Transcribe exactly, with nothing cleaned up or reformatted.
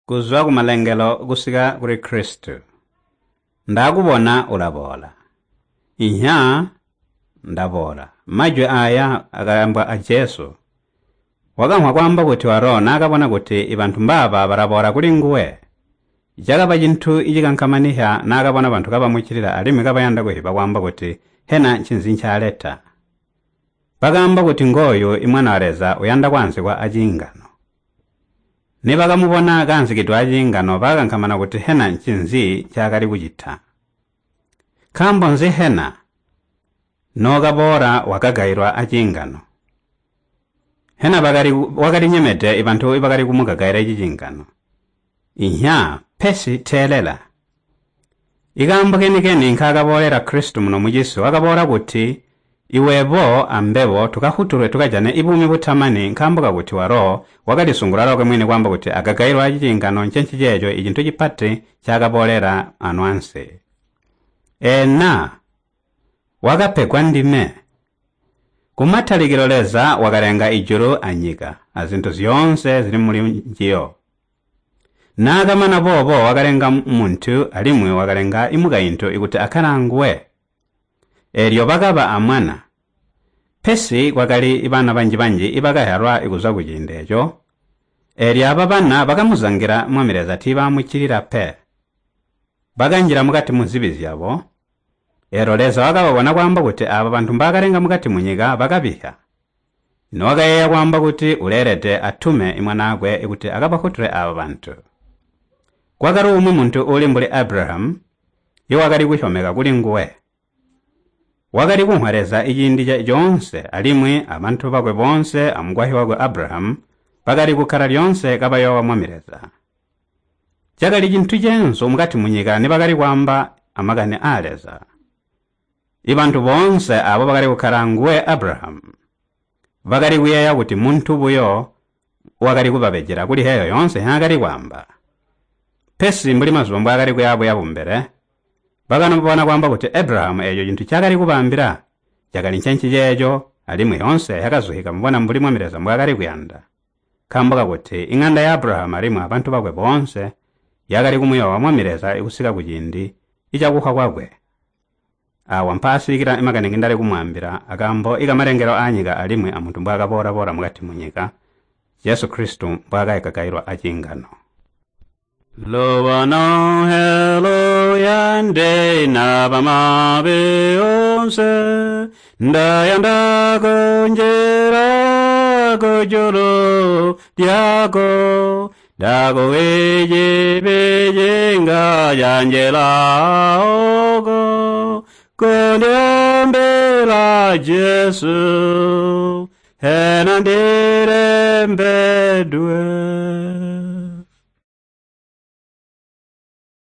Kuzwa kumalengelo kusika kuli Kristu. Ndakubona ulaboola. Inya ndaboola. Majwi aya akaambwa a Jesu. Wakamvwa kwaamba kuti walo naakabona kuti ibantu mbaaba balaboola kuli nguwe. Cakaba cintu icikankamanisya naakabona bantu kabamuccilila alimwi kabayanda kuhiba kwaamba kuti hena ncinzi ncaaleta. Bakaamba kuti ngooyu imwana wa Leza uyanda kwaanzikwa aciingano. Nibakamubona kaanzikidwe aciingano bakakankamana kuti hena ncinzi ncaakali kucita. Nkaambo nzi hena nookaboola wakagailwa aciingano? Hena bakali wakalinyemede ibantu ibakali kumugagaila ciciingano? Inya, pesi teelela. Ikaambo keni-keni nkaakaboolela Kristu muno mucisi wakaboola kuti iwebo ambebo tukafutulwe tukajane ibuumi butamani nkaambo kakuti walo wakalisungula lwakwe mwini kwaamba kuti agagailwe aciciingano ncenciceeco icintu cipati ncaakaboolela ano ansi. Ena wakapegwa ndime. Kumatalikilo Leza wakalenga ijulu anyika azintu zyoonse zili muli njiyo. Naakamana boobo wakalenga muntu alimwi wakalenga imukaintu ikuti akkale anguwe. Eelyo bakaba amwana. Pesi kwakali bana banji-banji ibakazyalwa kuzwa kuciindi eeco. Eelyo aba bana bakamuzangila Mwami Leza tiibaamuccilila pe. Bakanjila mukati muzibi zyabo. Eelyo Leza wakababona kwaamba kuti aaba bantu mbaakalenga mukati munyika bakabisya. Lino wakayeeya kwaamba kuti uleelede atume imwanaakwe kuti akabafutule aaba bantu. Kwakali umwi muntu uuli mbuli Abrahamu iwakali kusyomeka kulinguwe. Wakali kumvwa Leza iciindi coonse alimwi abantu bakwe boonse amukwasyi wakwe Abrahamu bakali kukkala lyoonse kabayoowa Mwami Leza. Cakali cintu ceenzu mukati munyika nibakali kwaamba amakani aa Leza. Ibantu boonse aabo bakali kukkala anguwe Abrahamu bakali kuyeeya kuti muntu buyo wakali kubabejela kuli heeyo yoonse nhaakali kwaamba. Pesi mbuli mazuba mbwaakali kuyaabuya kumbele, bakanobona kwaamba kuti Abrahamu eeco cintu ncaakali kubaambila cakali ncenciceeco alimwi yoonse yakazuhika mubona mbuli Mwami Leza mbwaakali kuyanda. Nkaambo kakuti iŋanda ya Abrahamu alimwi abantu bakwe boonse yakali kumuyoowa Mwami Leza kusika kuciindi icakufa kwakwe. Aawa mpaasilikila makani ngindali kumwaambila akaambo ikamalengelo aanyika alimwi amuntu mbwaakaboola-boola mukati munyika, Jesu Kristu mbwaakagagailwa aciingano. Lobano helo yande nabamabe onse ndayanda kunjera kujulu lyako ndakuwejebejenga yanjela oko kundiombela Jesu hena ndirembedwe.